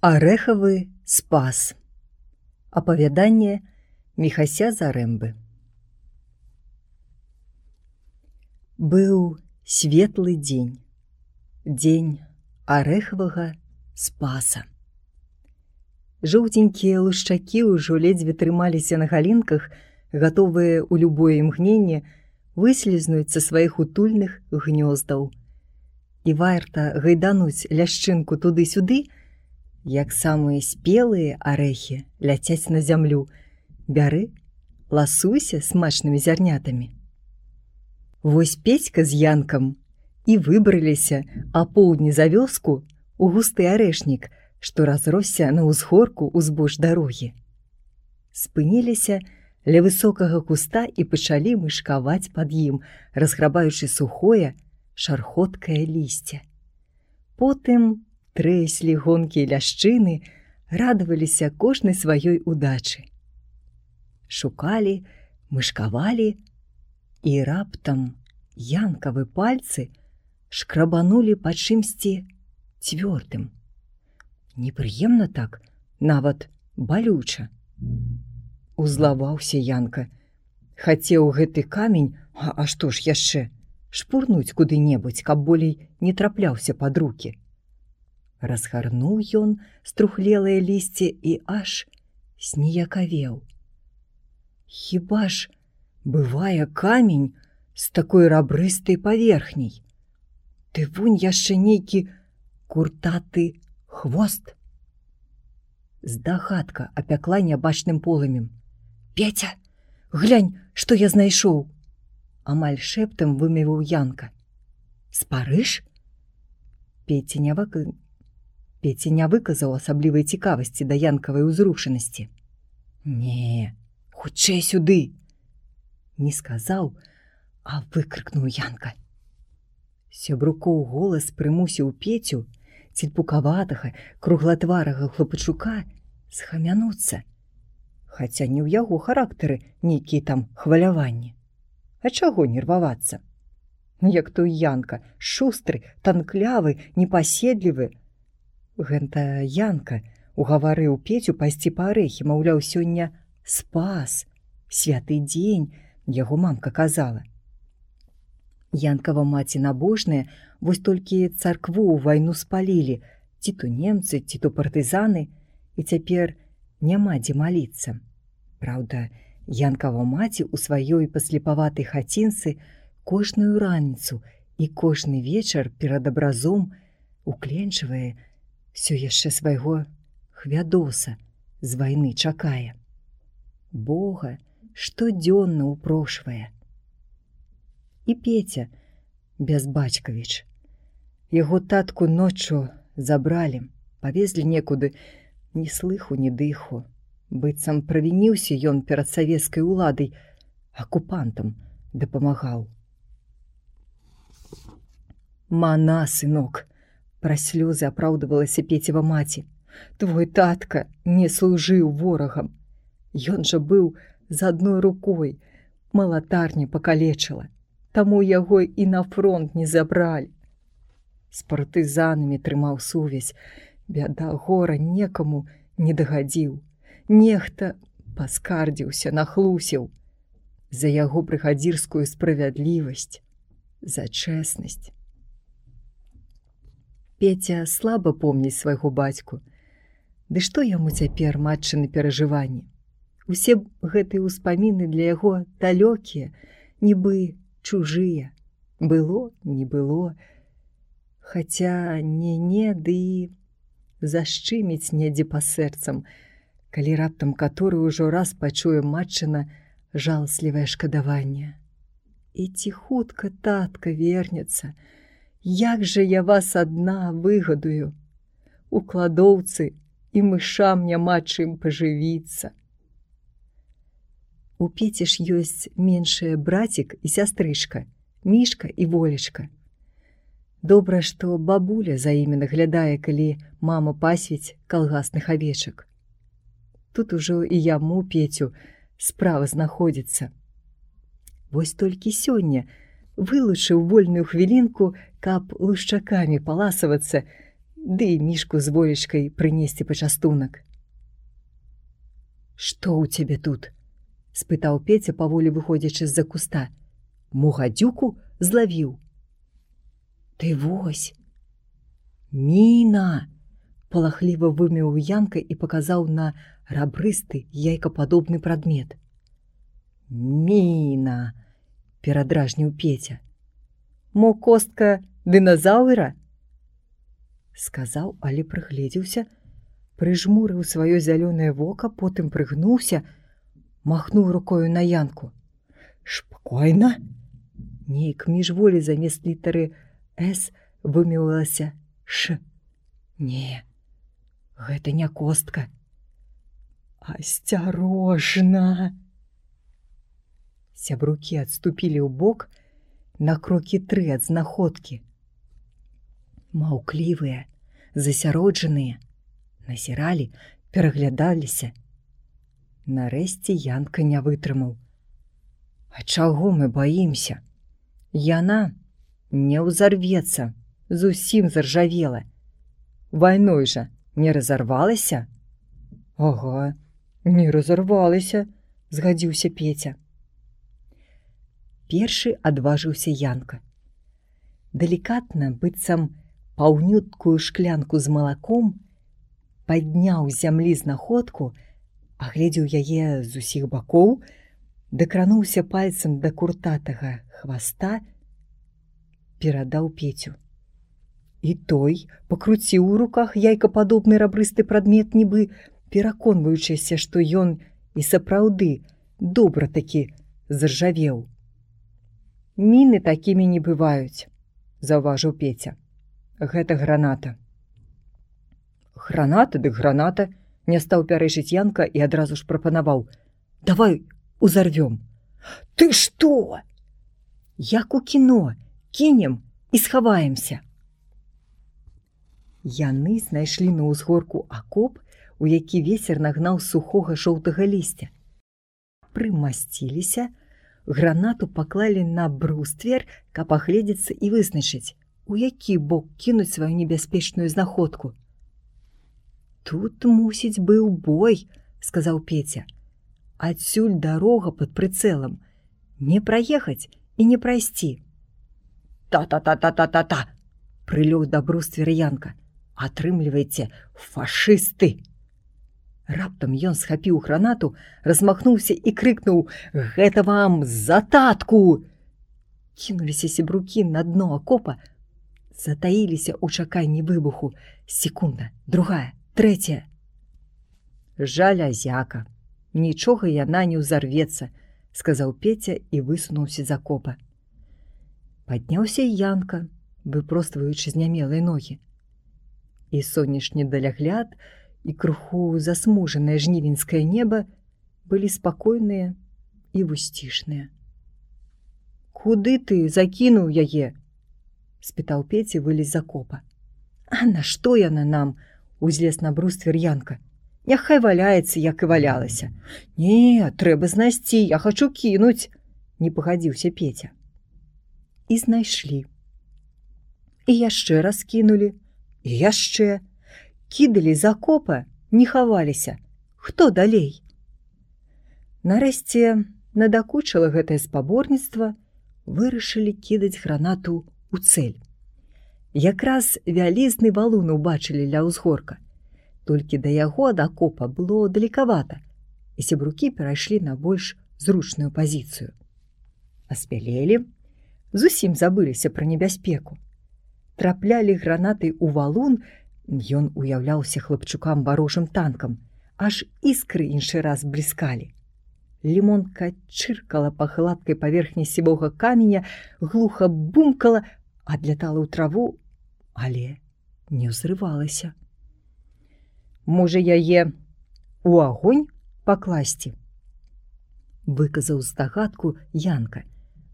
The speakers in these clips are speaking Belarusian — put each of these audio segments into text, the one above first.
Арэхавы спас. Апавяданне Міхася Зарэмбы. Быў светлы дзень. Дзень арэхавага спаса. Жоўтенькія лушчакі ўжо ледзьве трымаліся на галінках, гатовыя ў любое імгненне выслізнуць са сваіх утульных гнёздаў. І варта гайдануць ляшчынку туды-сюды, як самыя спелыя арэхі ляцяць на зямлю. Бяры, ласуйся смачнымі зярнятамі. Вось Петька з Янкам і выбраліся апоўдні за вёску ў густы арэшнік, што разросся на ўзгорку ўзбоч дарогі. Спыніліся ля высокага куста і пачалі мышкаваць пад ім, разграбаючы сухое, шархоткае лісце. Потым трэслі гонкі ляшчыны, радаваліся кожнай сваёй удачы. Шукалі, мышкавалі, і раптам Янкавы пальцы шкрабанулі па чымсьці цвёрдым. Непрыемна так, нават балюча. Узлаваўся Янка. Хацеў гэты камень, а што ж яшчэ, шпурнуць куды-небудзь, каб болей не трапляўся пад рукі. Разгарнуў ён струхлелае лісце і аж зніякавеў. Хіба ж бывае камень з такой рабрыстай паверхняй? Ды вунь яшчэ нейкі куртаты хвост. Здагадка апякла нябачным полымем. «Петя, глянь, што я знайшоў!» Амаль шэптам вымовіў Янка. «Спарыш?» Петя не выказаў асаблівай цікавасці да янкавай узрушанасці. «Не, хутчэй сюды!» Не сказаў, а выкрыкнуў Янка. Сябрукоў голас прымусіў Петю, цельпукаватага, круглатварага хлопачука, схамянуцца. Хаця не ў яго характары нейкія там хваляванні. А чаго нервавацца? Як той Янка, шустры, танклявы, непаседлівы. Гэта Янка угаварыў Петю пайсці па арэхі, маўляў, сёння спас, святы дзень, яго мамка казала. Янкава маці набожная, вось толькі царкву ў вайну спалілі, ці то немцы, ці то партызаны, і цяпер няма дзе маліцца. Праўда, Янкава маці ў сваёй паслепаватай хацінцы кожную раніцу і кожны вечар перад абразом укленчвае, всё яшчэ свайго хвядоса з вайны чакае. Бога штодзённа ўпрошвае. І Петя Бязбацькавіч. Яго татку ноччу забралі, павезлі некуды, ні слыху, ні дыху. Быццам правініўся ён перад савецкай уладай, акупантам дапамагаў. «Мана, сынок!» Праз слёзы апраўдывалася Пецева маці. «Твой татка не служыў ворагам. Ён жа быў з адной рукой, малатарня пакалечыла, таму яго і на фронт не забралі. З партызанамі трымаў сувязь, бяда, гора некаму не дагадзіў. Нехта паскардзіўся, нахлусіў за яго брыгадзірскую справядлівасць, за чэснасць». Петя слаба помніць свайго бацьку. Ды што яму цяпер матчыны перажыванні? Усе гэтыя ўспаміны для яго далёкія, нібы чужыя. Было, не было. Хаця не, ды і зашчыміць недзе па сэрцам, калі раптам каторы ўжо раз пачуе матчына жаласлівае шкадаванне. І ці хутка татка вернецца? Як жа я вас адна выгадую? У кладоўцы і мышам няма чым пажывіцца. У Пеці ж ёсць меншыя брацік і сястрычка, Мішка і Волечка. Добра, што бабуля за імі наглядае, калі мама пасвіць калгасных авечак. Тут ужо і яму, Петю, справа знаходзіцца. Вось толькі сёння вылучыў вольную хвілінку, каб лушчакамі паласавацца, ды і мішку з волечкай прынесці пачастунак. «Што ў цябе тут?» – спытаў Петя, паволі выходзячы з-за куста. «Мо гадзюку злавіў?» «Ты вось!» «Міна!» – палахліва вымеў Янка і паказаў на рабрысты яйкападобны прадмет. «Міна!» – перадражніў Петя. «Мо костка дыназаўра?» Сказаў, але прыгледзеўся, прыжмурыў сваё зялёнае вока, потым прыгнуўся, махнуў рукою на Янку. «Шпакойна!» Нейк міжволі замест літары «С» вымеўлася «Ш». «Не, гэта не костка». «Асцярожна!» Сябрукі адступілі ў бок на крокі 3 ад знаходкі. Маўклівыя, засяроджаныя, назіралі, пераглядаліся. Нарэшце Янка не вытрымаў. «А чаго мы баімся? Яна не ўзарвецца, зусім заржавела. Вайной жа не разарвалася?» «Ага, не разарвалася», – згадзіўся Петя. Першы адважыўся Янка. Далікатна, быццам паўнюткую шклянку з малаком, падняў з зямлі знаходку, агледзеў яе з усіх бакоў, дакрануўся пальцам да куртатага хваста, перадаў Пецю. І той пакруціў у руках яйкападобны рабрысты прадмет, нібы пераконваючыся, што ён і сапраўды добра такі заржавеў. «Міны такімі не бываюць», – заўважыў Петя. «Гэта граната». «Граната дык граната», – не стаў пярэчыць Янка і адразу ж прапанаваў. «Давай узарвём». «Ты што?» «Як у кіно, кінем і схаваемся». Яны знайшлі на ўзгорку акоп, у які вецер нагнаў сухога жоўтага лісця. Прымасціліся, гранату паклалі на бруствер, каб агледзецца і вызначыць, у які бок кінуць сваю небяспечную знаходку. «Тут, мусіць, быў бой», – сказаў Петя. «Адсюль дарога пад прыцэлам. Не праехаць і не прайсці». «Та-та-та-та-та-та-та!» – прылёў да бруствера Янка. «Атрымлівайце, фашысты!» Раптам ён схапіў гранату, размахнуўся і крыкнуў: «Гэта вам за татку!» Кінуліся сябрукі на дно акопа, затаіліся ў чаканні выбуху. Секунда, другая, трэцяя. «Жалязяка, нічога яна не ўзарвецца», – сказаў Петя і высунуўся з акопа. Падняўся Янка, выпростваючы знямелыя ногі. І сонечны далягляд, і крыху засмужанае жнівеньскае неба былі спакойныя і вусцішныя. «Куды ты закінуў яе?» – спытаў Петя, вылез з акопа. «А нашто яна нам?» – узлез на бруствер Янка. «Няхай валяецца, як і валялася». «Не, трэба знайсці, я хачу кінуць», – не пагадзіўся Петя. І знайшлі. І яшчэ раз кінулі, і яшчэ. Кідалі з акопа, не хаваліся. Хто далей? Нарэшце надакучыла гэтае спаборніцтва, вырашылі кідаць гранату ў цэль. Якраз вялізны валун убачылі ля ўзгорка. Толькі да яго ад акопа было далекавата, і сябрукі перайшлі на больш зручную пазіцыю. Аспялелі, зусім забыліся пра небяспеку. Траплялі гранаты ў валун, ён уяўляўся хлапчукам варожым танкам, аж іскры іншы раз бліскалі. Лімонка чыркала па гладкай паверхні сівога каменя, глуха бумкала, адлятала ў траву, але не ўзрывалася. «Можа, яе у агонь пакласці?» – выказаў здагадку Янка,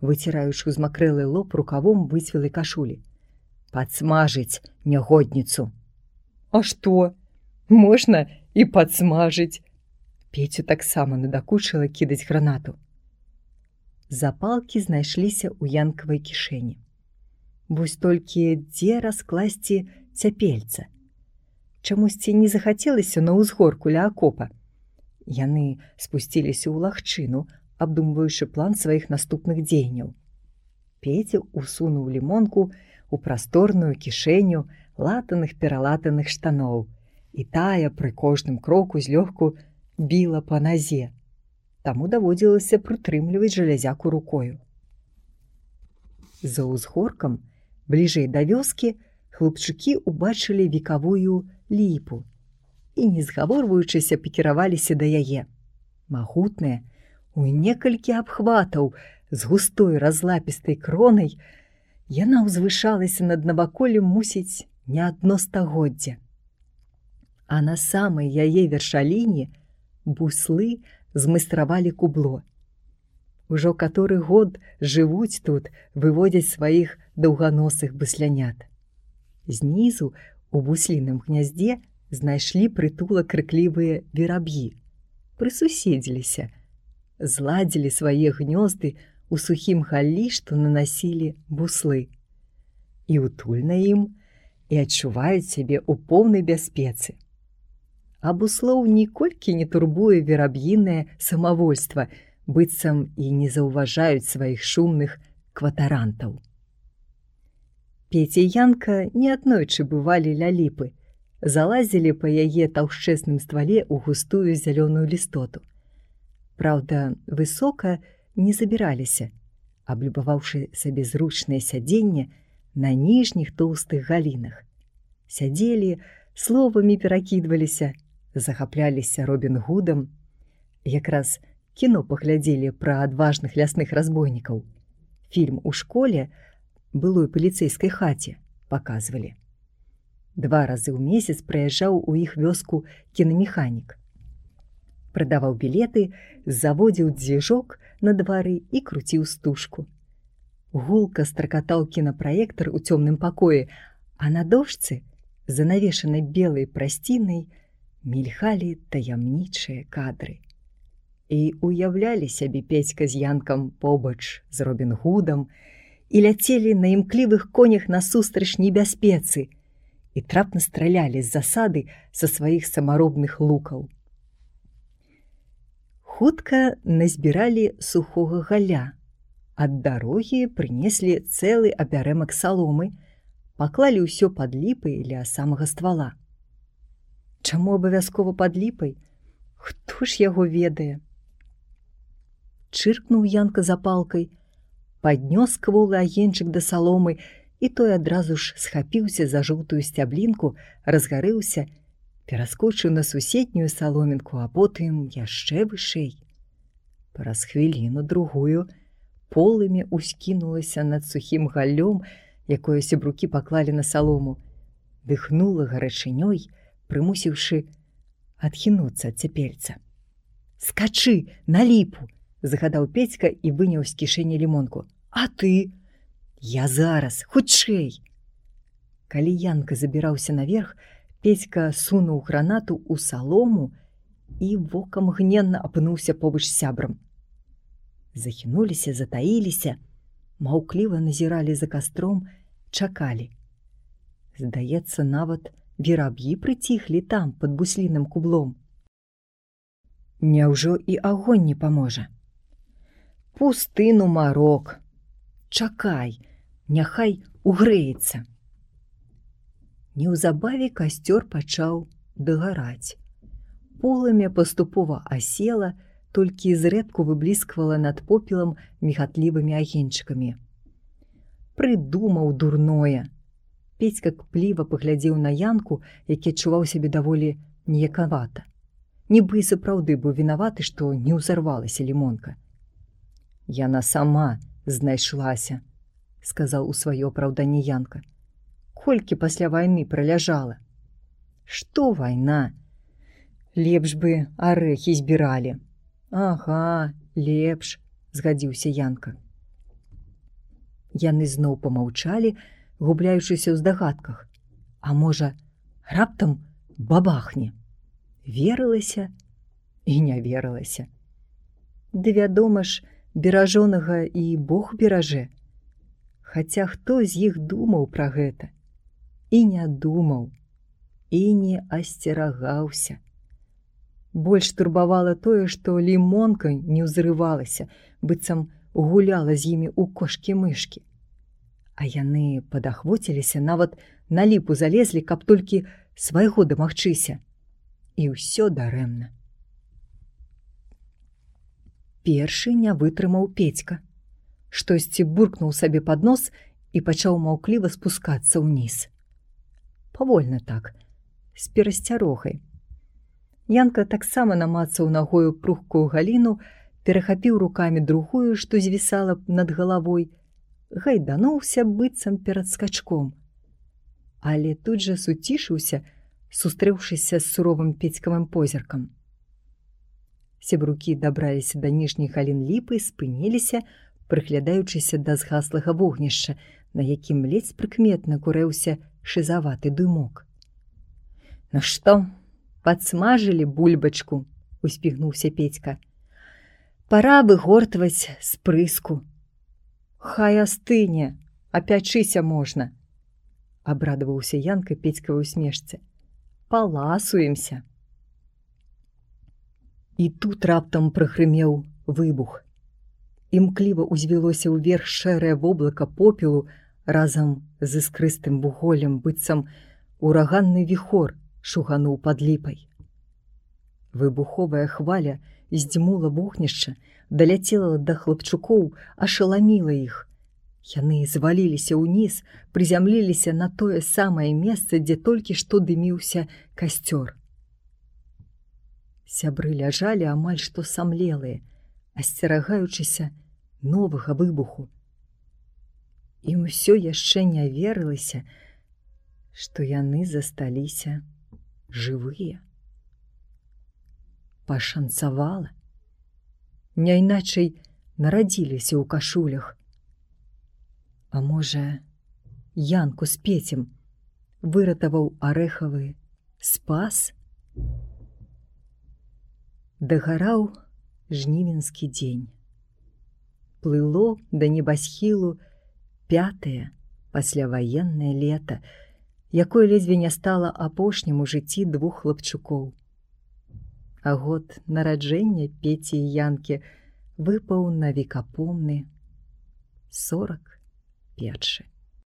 выціраючы змакрэлы лоб рукавом выцвілай кашулі. «Падсмажыць нягодніцу». «А што? Можна і падсмажыць». Пецю таксама надакучыла кідаць гранату. Запалкі знайшліся ў Янкавай кішэні. Вось толькі дзе раскласці цяпельца, Чамусьці не захацелася на ўзгорку ля акопа. Яны спусціліся ў лагчыну, абдумваючы план сваіх наступных дзеянняў. Пеця усунуў лімонку у прасторную кішэню латаных-пералатаных штаноў, і тая пры кожным кроку злёгку біла па назе. Таму даводзілася прытрымліваць жалязяку рукою. За ўзгоркам, бліжэй да вёскі, хлопчыкі ўбачылі векавую ліпу і, не згаворваючыся, пакіраваліся да яе. Магутная, у некалькі абхватаў, з густой разлапістай кронай, яна ўзвышалася над наваколлем, мусіць, не адно стагоддзя. А на самай яе вершаліне буслы змайстравалі кубло. Ужо каторы год жывуць тут, выводзяць сваіх даўганосых буслянят. Знізу, у бусліным гняздзе, знайшлі прытулак крыклівыя вераб'і. Прысуседзіліся, зладзілі свае гнёзды у сухім галлі, што нанасілі буслы. І утульна ім, і адчуваюць сябе ў поўнай бяспецы. А буслоў ніколькі не турбуе вераб'інае самавольства, быццам і не заўважаюць сваіх шумных кватарантаў. Пеця і Янка неаднойчы бывалі ля ліпы, залазілі па яе таўшчэзным ствале ў густую зялёную лістоту. Праўда, высока не забіраліся, аблюбаваўшы сабе зручнае сядзенне на ніжніх тоўстых галінах. Сядзелі, словамі перакідваліся, захапляліся Робін Гудам. Якраз кіно паглядзелі пра адважных лясных разбойнікаў. Фільм у школе, былой паліцэйскай хаце, паказвалі. 2 разы ў месяц прыязджаў у іх вёску кінамеханік. Прадаваў білеты, заводзіў дзвіжок на двары і круціў стужку. Гулка стракатаў кінапраектар у цёмным пакоі, а на дошцы, занавешанай белай прасцінай, мільгалі таямнічыя кадры. І уяўлялі сябе Пецька з Янкам побач з Робін Гудам і ляцелі на імклівых конях насустрач небяспецы і трапна стралялі з засады са сваіх самаробных лукаў. Хутка назбіралі сухога галля. Ад дарогі прынеслі цэлы абярэмак саломы, паклалі ўсё пад ліпай ля самага ствала. Чаму абавязкова пад ліпай? Хто ж яго ведае? Чыркнуў Янка запалкай, паднёс кволы агеньчык да саломы, і той адразу ж схапіўся за жоўтую сцяблінку, разгарэўся, пераскочыў на суседнюю саломінку, а потым яшчэ вышэй. Праз хвіліну-другую полымя ўскінулася над сухім галлём, якое сябрукі паклалі на салому, дыхнула гарачынёй, прымусіўшы адхінуцца ад цяпельца. «Скачы на ліпу!» – загадаў Пецька і выняў з кішэні лімонку. «А ты?» «Я зараз, хутчэй!» Калі Янка забіраўся наверх, Пецька сунуў гранату ў салому і вокам гненна апынуўся побач з сябрам. Захінуліся, затаіліся, маўкліва назіралі за кастром, чакалі. Здаецца, нават вераб'і прыціхлі там, пад бусліным кублом. Няўжо і агонь не паможа? Пусты нумарок. Чакай, няхай угрэецца. Неўзабаве касцёр пачаў дагараць. Полымя паступова асела, толькі зрэдку выблісквала над попелам мігатлівымі агеньчыкамі. Прыдумаў дурное. Пецька кпліва паглядзеў на Янку, які адчуваў сябе даволі ніякавата. Нібы і сапраўды быў вінаваты, што не ўзарвалася лімонка. «Яна сама знайшлася», – сказаў у сваё апраўданне Янка. «Колькі пасля вайны праляжала?» «Што вайна? Лепш бы арэхі збіралі». «Ага, лепш», – згадзіўся Янка. Яны зноў памаўчалі, губляючыся ў здагадках. А можа, раптам бабахне? Верылася і не верылася. Ды вядома ж, беражонага і Бог беражэ. Хаця хто з іх думаў пра гэта? І не думаў. і не асцерагаўся. Больш турбавала тое, што лімонка не ўзрывалася, быццам гуляла з імі ў кошкі-мышкі. А яны падахвоціліся, нават на ліпу залезлі, каб толькі свайго дамагчыся. І ўсё дарэмна. Першы не вытрымаў Петька. Штосьці буркнуў сабе пад нос і пачаў маўкліва спускацца ўніз. Павольна так, з перасцярогай. Янка таксама намацаў нагою пругкую галіну, перахапіў рукамі другую, што звісала над галавой, гайдануўся быццам перад скачком. Але тут жа суцішыўся, сустрэўшыся з суровым Петькавым позіркам. Сябрукі дабраліся да ніжніх галін ліпы і спыніліся, прыглядаючыся да згаслага вогнішча, на якім ледзь прыкметна курэўся шызаваты дымок. «Ну што, падсмажылі бульбачку?» — успігнуўся Петька. «Пара выгортваць з прыску». «Хай астыне, апячыся можна», — абрадаваўся Янка Петькавай усмешцы. «Паласуемся». І тут раптам прагрымеў выбух. Імкліва узвілося ўверх шэрае воблака попелу разам з іскрыстым вуголлем, быццам ураганны віхор шугануў пад ліпай. Выбуховая хваля здзьмула вогнішча, даляцела да хлапчукоў, ашаламіла іх. Яны зваліліся ўніз, прызямліліся на тое самае месца, дзе толькі што дыміўся касцёр. Сябры ляжалі амаль што самлелыя, асцерагаючыся новага выбуху. Ім усё яшчэ не верылася, што яны засталіся жывыя. Пашанцавала. Няйначай нарадзіліся ў кашулях. А можа, Янку з Пецем выратаваў арэхавы спас? Дагараў жнівеньскі дзень. Плыло да небасхілу 5-е пасляваеннае лета, якое ледзьве не стала апошнім у жыцці 2 хлапчукоў. А год нараджэння Пеці і Янкі выпаў на векапомны 41.